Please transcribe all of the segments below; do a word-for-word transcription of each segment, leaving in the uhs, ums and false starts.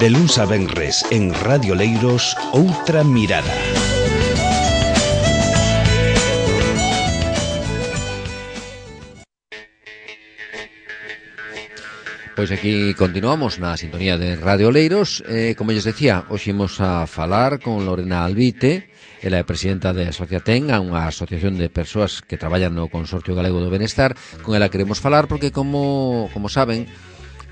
De luns a venres en Radio Leiros, Outra Mirada. Pois aquí continuamos na sintonía de Radio Leiros. eh, Como lles decía, hoxe imos a falar con Lorena Albite. Ela é presidenta de Asociaten, unha asociación de persoas que traballan no Consorcio Galego do Benestar. Con ela queremos falar porque, como, como saben,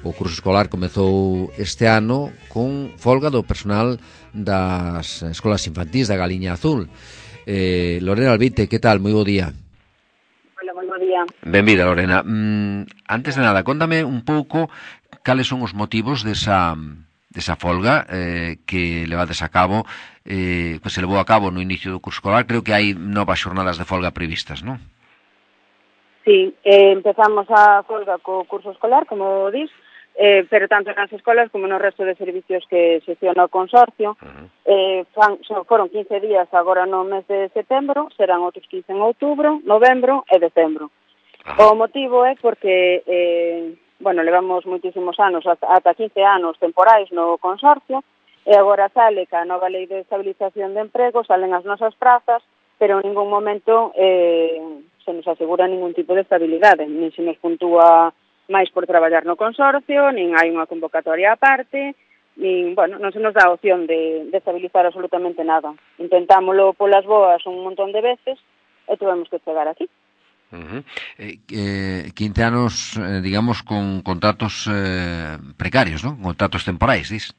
o curso escolar comezou este ano con folga do personal das escolas infantís da Galiña Azul. eh, Lorena Albite, que tal? Moi bo día. Hola, moi bo día. Benvida, Lorena. Mm, antes de nada, contame un pouco cales son os motivos desa, desa folga eh, que levades a cabo, eh, que se levou a cabo no inicio do curso escolar. Creo que hai novas xornadas de folga previstas, non? Sí, eh, empezamos a folga co curso escolar, como dis, eh, pero tanto nas escolas como no resto de servicios que xestiona o consorcio. Uh-huh. eh, fan, son, foron quince días agora no mes de setembro, serán outros quince en outubro, novembro e decembro. Uh-huh. O motivo é porque, eh, bueno, levamos moitísimos anos, ata quince anos temporais no consorcio, e agora sale que a nova lei de estabilización de emprego, salen as nosas prazas, pero en ningún momento eh, se nos asegura ningún tipo de estabilidade, nin se nos puntúa máis por traballar no consorcio, nin hai unha convocatoria aparte, nin, bueno, non se nos dá a opción de, de estabilizar absolutamente nada. Intentámoslo polas boas un montón de veces e tuvemos que chegar aquí. Uh-huh. eh, eh, quince anos, eh, digamos, con contratos eh, precarios, ¿no? Contratos temporais, dis?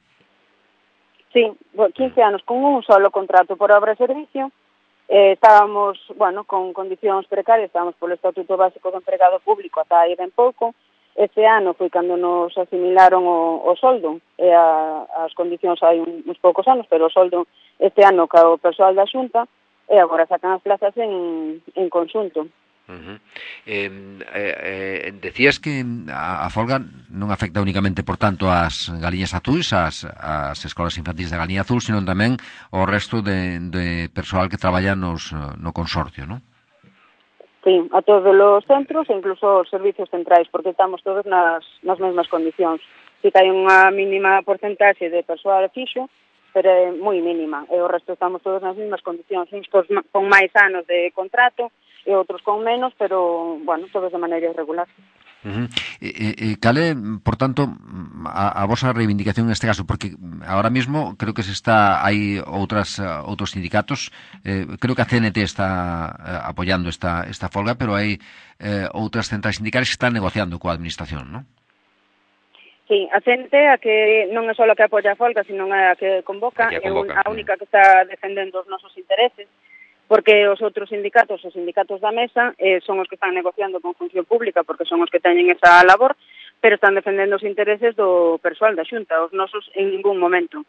Sí, quince anos con un solo contrato por obra e servicio. Eh, estábamos, bueno, con condicións precarias, estábamos polo Estatuto Básico do Empregado Público ata aí ben pouco. Este ano foi cando nos asimilaron o, o soldo, e a, as condicións hai un, uns poucos anos, pero o soldo este ano ca o persoal da Xunta, e agora sacan as plazas en, en conxunto. Uh-huh. eh, eh, Decías que a, a folga non afecta únicamente, por tanto, ás Galiñas Azuis, ás, ás escolas infantís da Galiña Azul, sino tamén ao resto de, de persoal que traballa nos, no consorcio, non? Sí, a todos os centros e incluso os servicios centrais, porque estamos todos nas, nas mesmas condicións. Si que hai unha mínima porcentaxe de persoal fixo, pero é moi mínima, e o resto estamos todos nas mesmas condicións, uns con máis anos de contrato e outros con menos, pero, bueno, todos de maneira irregular. Uh-huh. E, e, cale, por tanto, a, a vosa reivindicación neste caso, porque ahora mismo creo que se está, hai outras outros sindicatos, eh, creo que a C N T está eh, apoiando esta esta folga, pero hai eh, outras centrais sindicais que están negociando coa administración, non? Sí, a C N T a que non é só a que apoia a folga, sino a que convoca, a, que convoca, é a única que está defendendo os nosos intereses, porque os outros sindicatos, os sindicatos da mesa, eh, son os que están negociando con función pública, porque son os que teñen esa labor, pero están defendendo os intereses do persoal da Xunta, os nosos en ningún momento.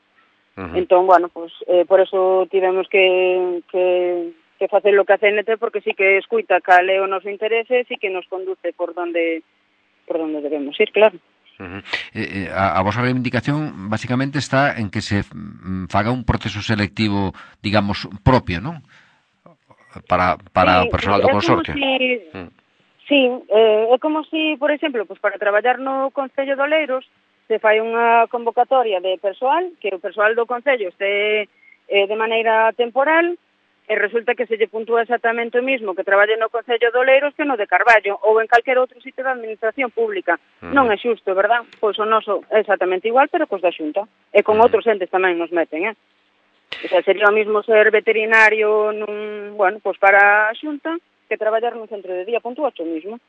Uh-huh. Entón, bueno, pues, eh, por eso tivemos que, que, que facer lo que a C N T, porque sí que escuita cal é o noso interese, sí que nos conduce por donde, por donde debemos ir, claro. Uh-huh. eh, a, a vosa reivindicación basicamente está en que se faga un proceso selectivo, digamos, propio, non? Para, para sí, o personal do consorcio. Si, mm. Sí, eh, é como si, por exemplo, pues para traballar no Concello de Oleiros se fai unha convocatoria de persoal, que o persoal do Concello este eh, de maneira temporal, e resulta que se lle puntúa exactamente o mismo que traballe no Concello de Oleiros que no de Carballo, ou en calquer outro sitio da administración pública. Uh-huh. Non é xusto, verdad? Pois o noso é exactamente igual, pero cos da Xunta. E con uh-huh. outros entes tamén nos meten, eh? O sea, sería o mismo ser veterinario nun, bueno, pues para a Xunta que traballar nun centro de día, punto ocho mismo.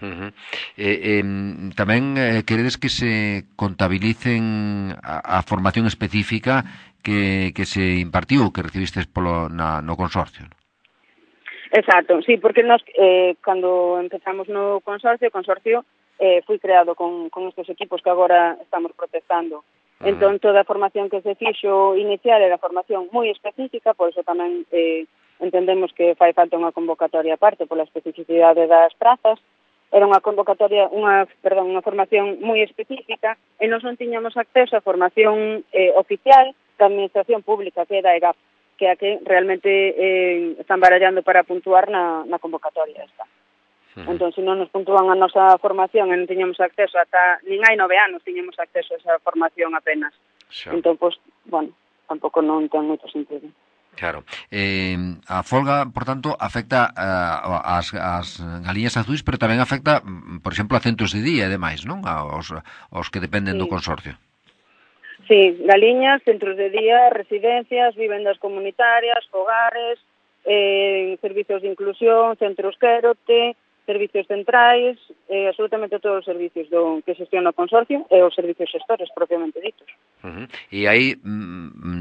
Uh-huh. eh, eh, tamén eh, queredes que se contabilicen a, a formación específica que, que se impartiu, que recibistes polo, na, no consorcio? Exacto, sí, porque nos, eh, cando empezamos no consorcio, o consorcio eh, foi creado con, con estes equipos que agora estamos protestando. Entón, toda a formación que se fixo inicial era formación moi específica, por iso tamén eh, entendemos que fai falta unha convocatoria aparte pola especificidade das prazas. Era unha convocatoria, unha, perdón, unha formación moi específica e nós non tiñamos acceso a formación eh, oficial da Administración Pública, que é da E G A P, que é a que realmente eh, están barallando para puntuar na, na convocatoria esta. Uh-huh. Entón, se non nos puntúan a nosa formación e non tiñamos acceso ata, nin hai nove anos tiñamos acceso a esa formación apenas. Xa. Entón, pois, bueno, tampouco non ten moito sentido. Claro. Eh, a folga, por tanto, afecta uh, as, as galiñas azuis, pero tamén afecta, por exemplo, a centros de día e demais, non? Aos, aos que dependen Sí. do consorcio. Sí, galiñas, centros de día, residencias, vivendas comunitarias, fogares, eh, servicios de inclusión, centros quérote, servicios centrais, eh, absolutamente todos os servicios do que xestiona o consorcio e os servicios xestores propiamente ditos. Uh-huh. E hai,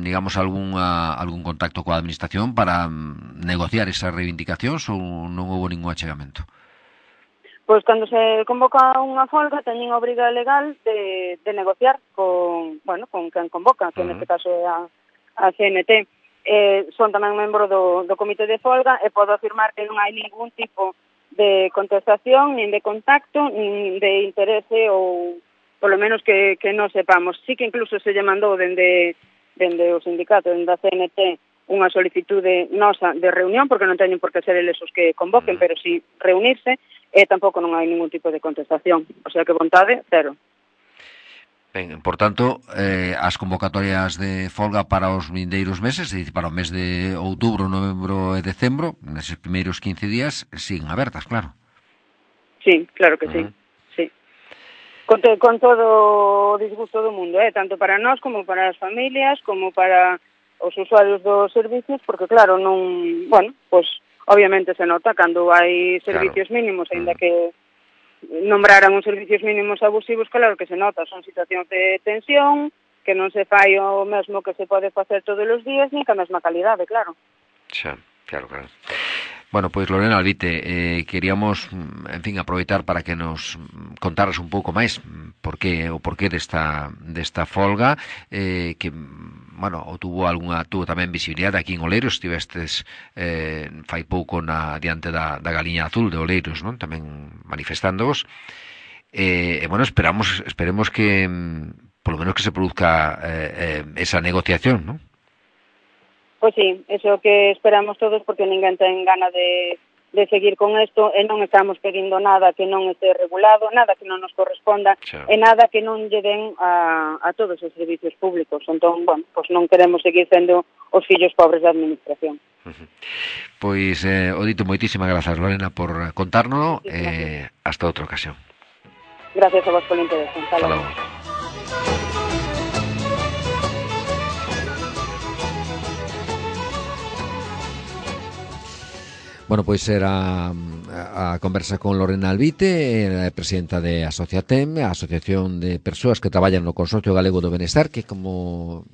digamos, algún, algún contacto coa administración para negociar esas reivindicacións ou non houve ningún achegamento? Pois cando se convoca unha folga teñen a obriga legal de, de negociar con, bueno, con quen convoca, que uh-huh. neste caso é a, a C N T. Eh, son tamén membro do, do comité de folga e podo afirmar que non hai ningún tipo de contestación, nin de contacto, nin de interese ou polo menos que, que non sepamos. Sí que incluso se lle mandou dende, dende o sindicato, dende a C N T, unha solicitude nosa de reunión, porque non teñen por que ser eles os que convoquen, pero si reunirse, e tampouco non hai ningún tipo de contestación. O sea que vontade, cero. Ben, por tanto, eh, as convocatorias de folga para os vindeiros meses, é dicir, para o mes de outubro, novembro e decembro, neses primeiros quince días, siguen abertas, claro. Sí, claro que sí. Uh-huh. Sí. Con, te, con todo o disgusto do mundo, eh? Tanto para nós como para as familias, como para os usuarios dos servicios, porque claro, non, bueno, pues obviamente se nota cando hai servicios claro. mínimos, aínda uh-huh. que nombraran uns servicios mínimos abusivos, claro que se nota, son situacións de tensión, que non se fai o mesmo que se pode facer todos os días, ni ca mesma calidade, claro. Xa, claro, claro. Bueno, pois Lorena Albite, eh, queríamos, en fin, aproveitar para que nos contaras un pouco máis por qué, o porqué desta, desta folga, eh, que, bueno, ou tuvo algunha, tuvo tamén visibilidade aquí en Oleiros, estivestes eh, fai pouco na, diante da, da Galiña Azul de Oleiros, non? Tamén manifestándovos, e, eh, bueno, esperamos, esperemos que, polo menos que se produzca eh, eh, esa negociación, non? Pois sí, eso que esperamos todos, porque ninguén ten gana de, de seguir con isto, e non estamos pedindo nada que non este regulado, nada que non nos corresponda, Chao. e nada que non lle den a, a todos os servicios públicos. Entón, bueno, pois non queremos seguir sendo os fillos pobres da administración. Uh-huh. Pois, eh, o dito, moitísimas grazas, Lorena, por contárnoslo, e eh, hasta outra ocasión. Gracias a vos polo interés. Hasta logo. Bueno, pois era a, a conversa con Lorena Albite, a presidenta de Asociatem, a Asociación de Persoas que traballan no Consorcio Galego do Benestar, que, como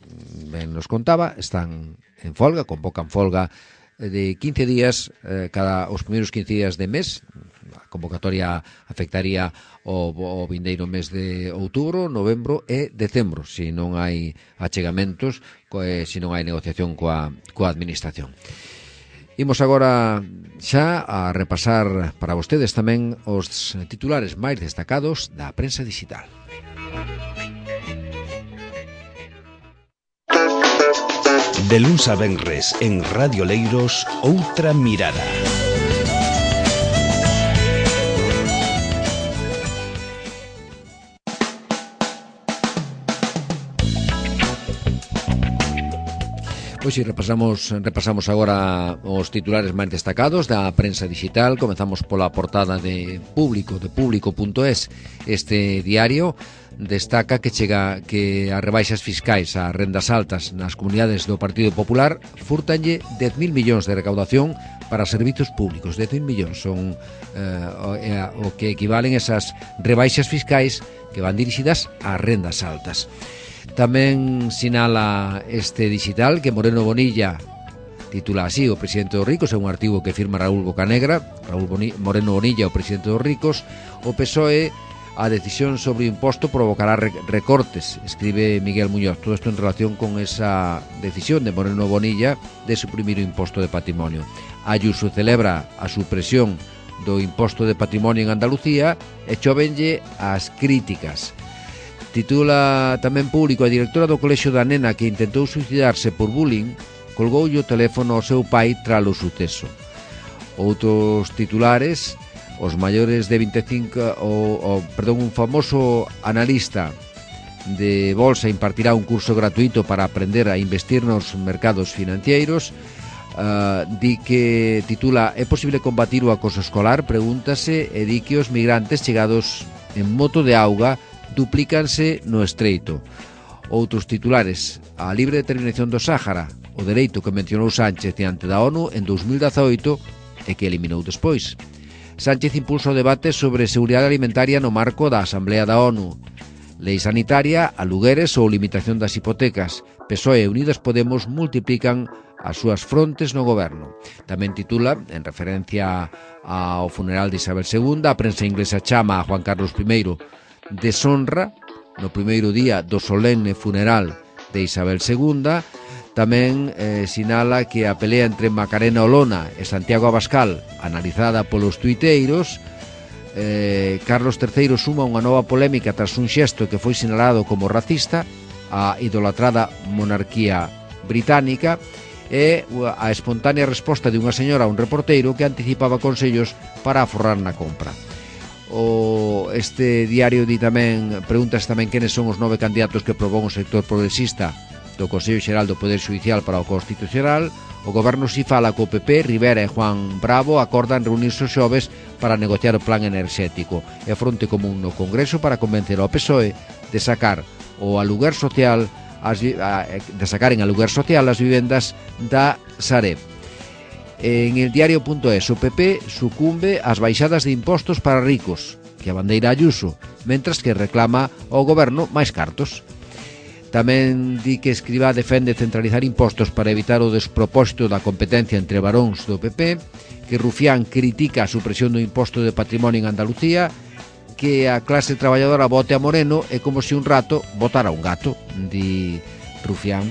ben nos contaba, están en folga, convocan folga de quince días, eh, cada os primeiros quince días de mes. A convocatoria afectaría o, o vindeiro mes de outubro, novembro e decembro, se non hai achegamentos, eh, se non hai negociación coa, coa administración. Imos agora xa a repasar para vostedes tamén os titulares máis destacados da prensa digital. De luns a venres en Radio Leiros, Outra Mirada. Pois si repasamos, repasamos agora os titulares máis destacados da prensa digital. Comezamos pola portada de Público, de público punto es. Este diario destaca que chega que as rebaixas fiscais a rendas altas nas comunidades do Partido Popular furtanlle dez mil millóns de recaudación para servizos públicos. dez mil millóns son eh, o, o que equivalen esas rebaixas fiscais que van dirixidas ás rendas altas. Tamén sinala este digital que Moreno Bonilla, titula así, o presidente dos ricos, é un artigo que firma Raúl Bocanegra, Raúl Boni, Moreno Bonilla, o presidente dos ricos. O P S O E, a decisión sobre o imposto provocará recortes, escribe Miguel Muñoz. Todo isto en relación con esa decisión de Moreno Bonilla de suprimir o imposto de patrimonio. Ayuso celebra a supresión do imposto de patrimonio en Andalucía e chovenlle as críticas. Titula tamén Público, a directora do colexio da nena que intentou suicidarse por bullying colgoulle o teléfono ao seu pai tras o suceso. Outros titulares, os maiores de vinte e cinco, o, o, perdón, un famoso analista de Bolsa impartirá un curso gratuito para aprender a investir nos mercados financeiros. Uh, di que titula "É posible combatir o acoso escolar?" Pregúntase e di que os migrantes chegados en moto de auga duplícanse no estreito. Outros titulares: a libre determinación do Sáhara, o dereito que mencionou Sánchez diante da ONU en dous mil dezaoito e que eliminou despois. Sánchez impulsa o debate sobre seguridade alimentaria no marco da Asamblea da ONU. Lei sanitaria, alugueres ou limitación das hipotecas. P S O E e Unidas Podemos multiplican as súas frontes no goberno. Tamén titula, en referencia ao funeral de Isabel segunda, a prensa inglesa chama a Juan Carlos primeiro deshonra no primeiro día do solemne funeral de Isabel segunda. Tamén eh, sinala que a pelea entre Macarena Olona e Santiago Abascal, analizada polos tuiteiros. Eh, Carlos terceiro suma unha nova polémica tras un xesto que foi sinalado como racista, a idolatrada monarquía británica, e a espontánea resposta de unha señora a un reporteiro que anticipaba consellos para aforrar na compra. O este diario di tamén, preguntas tamén quenes son os nove candidatos que propón o sector progresista do Consello Xeral do Poder Xudicial para o Constitucional. O goberno si fala co P P, Rivera e Juan Bravo acordan reunirse os xoves para negociar o plan enerxético e fronte común no Congreso para convencer ao P S O E de sacar o aluguer social as, de sacar en aluguer social as vivendas da Sareb. En el diario.es, o P P sucumbe ás baixadas de impostos para ricos, que a bandeira Ayuso, mentras que reclama ao goberno máis cartos. Tamén di que Escrivá defende centralizar impostos para evitar o despropósito da competencia entre varóns do P P, que Rufián critica a supresión do imposto de patrimonio en Andalucía, que a clase traballadora vote a Moreno é como se un rato votara un gato, di Rufián.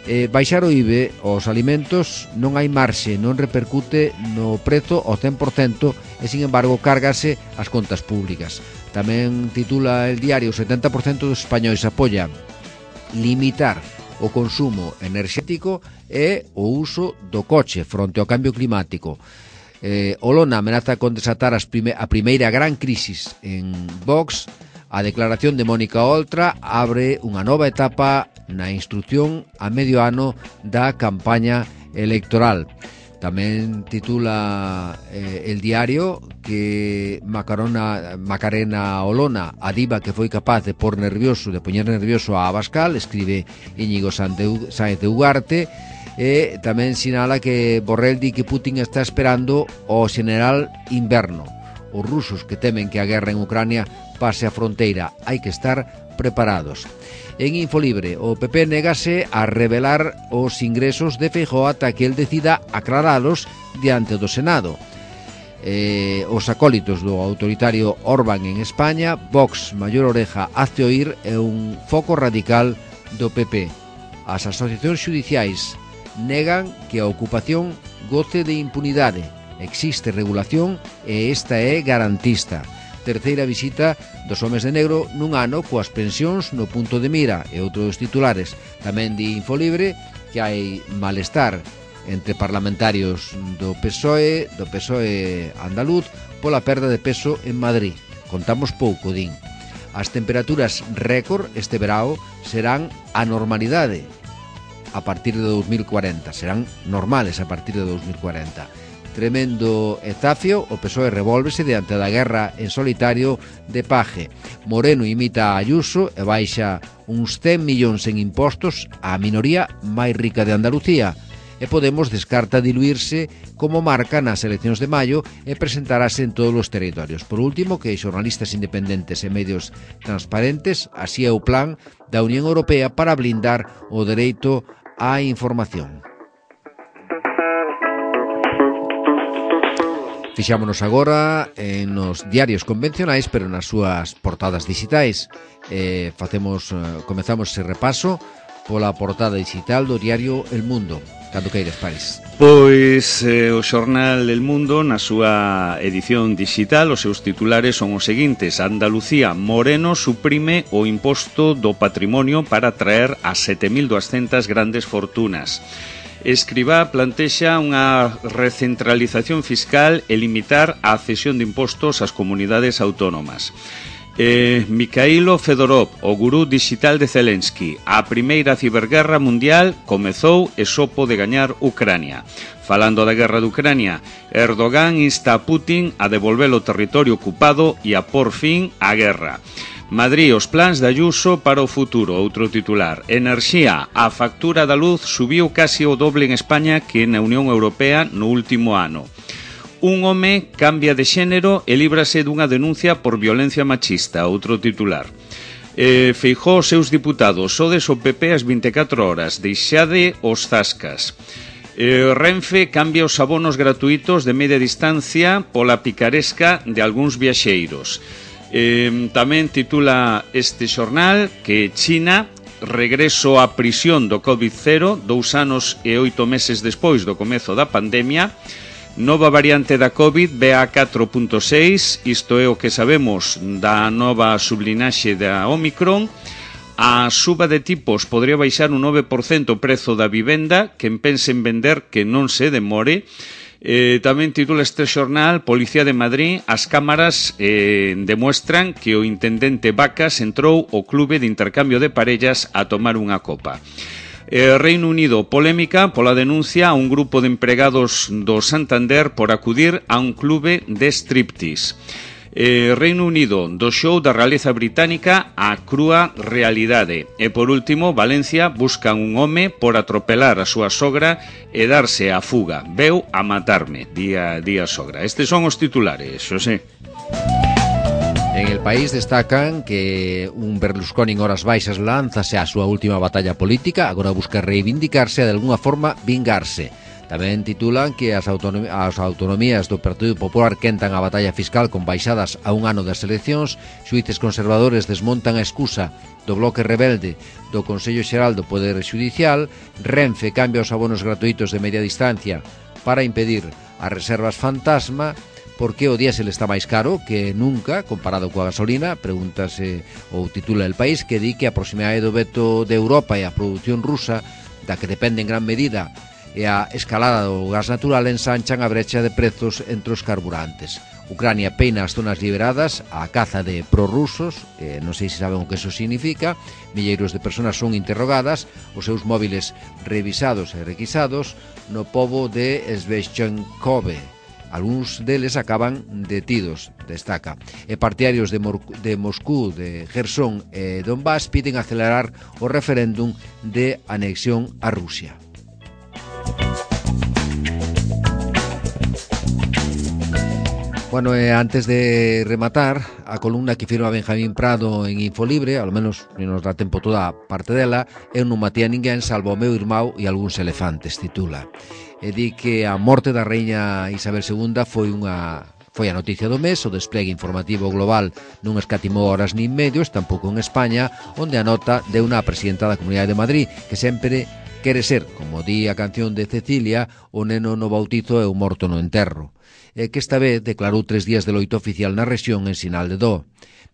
Eh, baixar o I V E aos alimentos non hai marxe, non repercute no prezo ao cen por cento e, sin embargo, cárgase as contas públicas. Tamén titula el diario: o setenta por cento dos españois apoia limitar o consumo enerxético e o uso do coche fronte ao cambio climático. Eh, Olona amenaza con desatar as prime, a primeira gran crisis en Vox. A declaración de Mónica Oltra abre unha nova etapa na instrucción a medio ano da campaña electoral. Tamén titula eh, el diario que Macarona, Macarena Olona, a diva que foi capaz de por nervioso, de poñer nervioso a Abascal, escribe Íñigo Sáenz de Ugarte, e tamén sinala que Borrell di que Putin está esperando o xeneral inverno. Os rusos que temen que a guerra en Ucrania pase a fronteira, hai que estar preparados. En Infolibre, o P P negase a revelar os ingresos de Feijóo ata que el decida aclaralos diante do Senado. Eh, os acólitos do autoritario Orbán en España, Vox, maior oreja, hazte oír, é un foco radical do P P. As asociacións xudiciais negan que a ocupación goce de impunidade. Existe regulación e esta é garantista. Terceira visita dos homes de negro nun ano coas pensións no punto de mira e outros titulares. Tamén di Infolibre que hai malestar entre parlamentarios do P S O E, do P S O E andaluz, pola perda de peso en Madrid. Contamos pouco, din. As temperaturas récord este verao serán a normalidade a partir de dos mil cuarenta. Serán normales a partir de dos mil cuarenta. Tremendo ezafio, o P S O E revólvese diante da guerra en solitario de Paje. Moreno imita a Ayuso e baixa uns cen millóns en impostos á minoría máis rica de Andalucía. E Podemos descarta diluirse como marca nas eleccións de maio e presentarase en todos os territorios. Por último, que xornalistas independentes e medios transparentes, así é o plan da Unión Europea para blindar o dereito á información. Fixámonos agora en nos diarios convencionais, pero nas súas portadas digitais. Eh, facemos, eh, comezamos ese repaso pola portada digital do diario El Mundo. Cando queires, Paris. Pois eh, o xornal El Mundo, na súa edición digital, os seus titulares son os seguintes: Andalucía, Moreno suprime o imposto do patrimonio para atraer a sete mil duascentas grandes fortunas. Escrivá plantexa unha recentralización fiscal e limitar a cesión de impostos ás comunidades autónomas. Eh, Mikhailo Fedorov, o gurú digital de Zelensky. A primeira ciberguerra mundial comezou e só pode gañar Ucrania. Falando da guerra de Ucrania, Erdogan insta a Putin a devolver o territorio ocupado e a por fin a guerra. Madrid, os plans de Ayuso para o futuro, outro titular. Enerxía, a factura da luz subiu casi o doble en España que na Unión Europea no último ano. Un home cambia de xénero e líbrase dunha denuncia por violencia machista, outro titular. Eh, Feijóo os seus diputados, sodes o P P as vinte e catro horas, deixade os zascas. Eh, Renfe cambia os abonos gratuitos de media distancia pola picaresca de algúns viaxeiros. Eh, tamén titula este xornal que China regreso á prisión do COVID cero, dous anos e oito meses despois do comezo da pandemia. Nova variante da COVID, B A catro punto seis, isto é o que sabemos da nova sublinaxe da Omicron. A suba de tipos podría baixar un nove por cento o prezo da vivenda, quen pense en vender que non se demore. Eh, tamén titula este xornal, Policía de Madrid, as cámaras eh, demuestran que o intendente Vacas entrou ao clube de intercambio de parellas a tomar unha copa. Eh, Reino Unido, polémica pola denuncia a un grupo de empregados do Santander por acudir a un clube de striptease. Eh, Reino Unido, do show da realeza británica a crúa realidade. E por último, Valencia, buscan un home por atropelar a súa sogra e darse a fuga. Veu a matarme, día, día sogra. Estes son os titulares, Xosé. En El País destacan que un Berlusconi en horas baixas lánzase á súa última batalla política, agora busca reivindicarse e de alguna forma vingarse. Tamén titulan que as, autonom as autonomías do Partido Popular quentan a batalla fiscal con baixadas a un ano das eleccións, xuíces conservadores desmontan a excusa do bloque rebelde do Consello Xeral do Poder Xudicial, Renfe cambia os abonos gratuitos de media distancia para impedir as reservas fantasma. Por que o diésel está máis caro que nunca comparado coa gasolina? Pregúntase ou titula El País, que di que a proximidade do veto de Europa e a produción rusa, da que depende en gran medida, e a escalada do gas natural ensanchan a brecha de prezos entre os carburantes. Ucrania peina as zonas liberadas a caza de prorrusos, eh, non sei se saben o que eso significa. Milleiros de personas son interrogadas, os seus móviles revisados e requisados no pobo de Sveshchenkove. Algúns deles acaban detidos, destaca. E partidarios de, Mor de Moscú, de Gerson e Donbass piden acelerar o referéndum de anexión a Rusia. Bueno, eh, antes de rematar, a columna que firma Benjamín Prado en Infolibre, ao menos nos dá tempo toda a parte dela, eu non matei a ninguén salvo o meu irmão e algúns elefantes, titula. E di que a morte da reina Isabel segunda foi unha foi a noticia do mes, o despliegue informativo global non escatimou horas nin medios, tampouco en España, onde a nota deu unha presidenta da Comunidade de Madrid, que sempre quere ser, como di a canción de Cecilia, o neno no bautizo e o morto no enterro. E que esta vez declarou tres días de loito oficial na rexión en sinal de dó.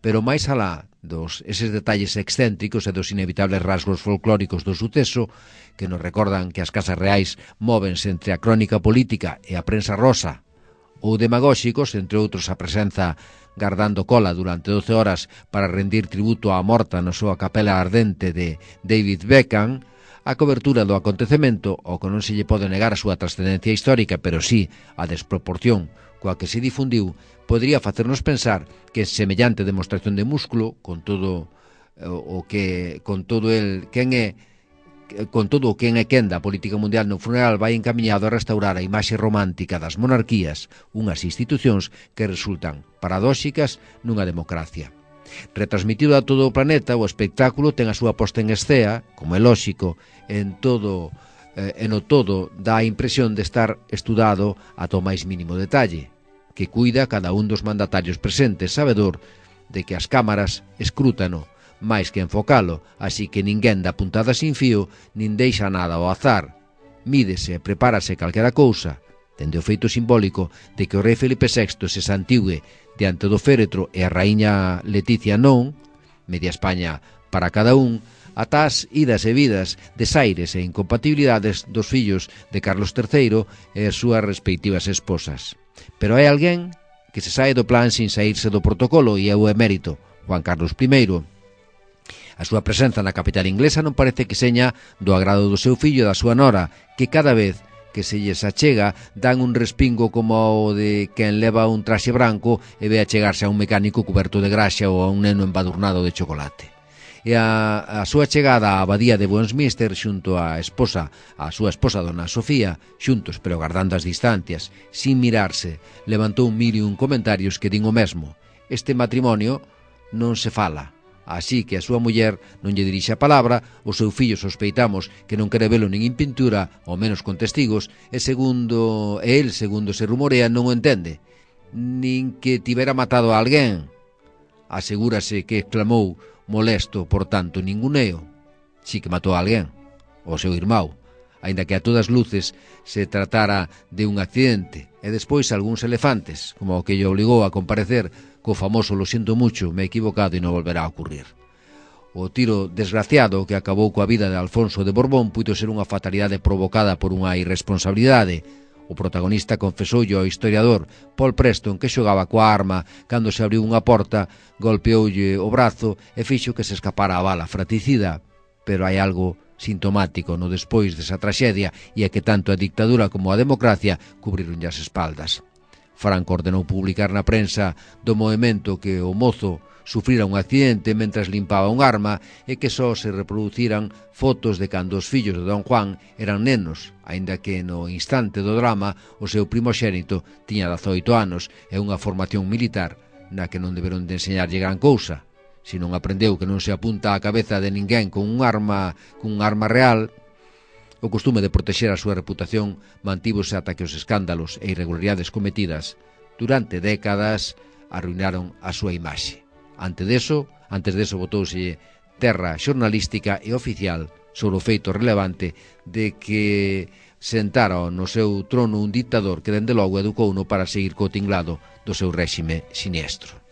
Pero máis alá dos eses detalles excéntricos e dos inevitables rasgos folclóricos do suceso, que nos recordan que as casas reais móvense entre a crónica política e a prensa rosa, ou demagóxicos, entre outros a presenza gardando cola durante doce horas para rendir tributo á morta na súa capela ardente de David Beckham, a cobertura do acontecemento, ao que non se lle pode negar a súa trascendencia histórica, pero sí a desproporción coa que se difundiu, podría facernos pensar que semellante demostración de músculo, con todo o que con todo el quen é con todo o quen é quen da política mundial no funeral vai encamiñado a restaurar a imaxe romántica das monarquías, unhas institucións que resultan paradóxicas nunha democracia. Retransmitido a todo o planeta, o espectáculo ten a súa posta en escena, como é lóxico, en todo eh, en o todo dá a impresión de estar estudado ata o máis mínimo detalle, que cuida cada un dos mandatarios presentes, sabedor de que as cámaras escrútano máis que enfocalo, así que ninguén dá puntada sin fío, nin deixa nada ao azar. Mídese e prepárase calquera cousa, dende o feito simbólico de que o rei Felipe sexto se santigue diante do féretro e a raíña Leticia non, media España para cada un, ata as idas e vidas, desaires e incompatibilidades dos fillos de Carlos terceiro e as súas respectivas esposas. Pero hai alguén que se sae do plan sin saírse do protocolo e é o emérito, Juan Carlos primeiro. A súa presenza na capital inglesa non parece que seña do agrado do seu fillo e da súa nora, que cada vez que se lles achega dan un respingo como o de quen leva un traxe branco e ve achegarse a un mecánico cuberto de graxa ou a un neno embadurnado de chocolate. E a, a súa chegada á abadía de Westminster xunto á esposa, a súa esposa dona Sofía, xuntos pero guardando as distancias, sin mirarse, levantou mil e un comentarios que din o mesmo. Este matrimonio non se fala. Así que a súa muller non lle dirixe a palabra, o seu fillo sospeitamos que non quere velo nin en pintura, ao menos con testigos, e segundo e el, segundo se rumorea, non o entende, nin que tivera matado a alguén. Asegúrase que exclamou molesto, por tanto, ninguneo. Si que matou a alguén, o seu irmão, aínda que a todas luces se tratara de un accidente, e despois algúns elefantes, como o que lle obligou a comparecer co famoso "lo siento mucho, me he equivocado e non volverá a ocurrir". O tiro desgraciado que acabou coa vida de Alfonso de Borbón puido ser unha fatalidade provocada por unha irresponsabilidade. O protagonista confesoulle ao historiador Paul Preston que xogaba coa arma cando se abriu unha porta, golpeoulle o brazo e fixo que se escapara a bala fratricida. Pero hai algo sintomático no despois desa traxedia e é que tanto a dictadura como a democracia cubrironlle as espaldas. Franco ordenou publicar na prensa do movemento que o mozo sufrira un accidente mentras limpaba un arma e que só se reproduciran fotos de cando os fillos de Don Juan eran nenos, aínda que no instante do drama o seu primoxénito tiña dezoito anos e unha formación militar na que non deberon de enseñarlle gran cousa. Se non aprendeu que non se apunta á cabeza de ninguén con un arma, con un arma real. O costume de protexer a súa reputación mantívose ata que os escándalos e irregularidades cometidas durante décadas arruinaron a súa imaxe. Antes deso, antes deso botouse terra xornalística e oficial sobre o feito relevante de que sentara no seu trono un dictador que dende logo educouno para seguir co tinglado do seu réxime siniestro.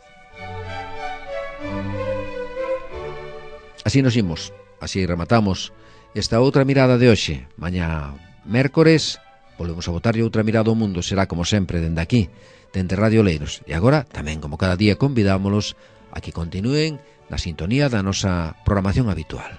Así nos imos, así rematamos esta outra mirada de hoxe. Mañá, mércores, volvemos a botarlle outra mirada ao mundo. Será como sempre dende aquí, dende Radio Oleiros. E agora, tamén como cada día, convidámolos a que continúen na sintonía da nosa programación habitual.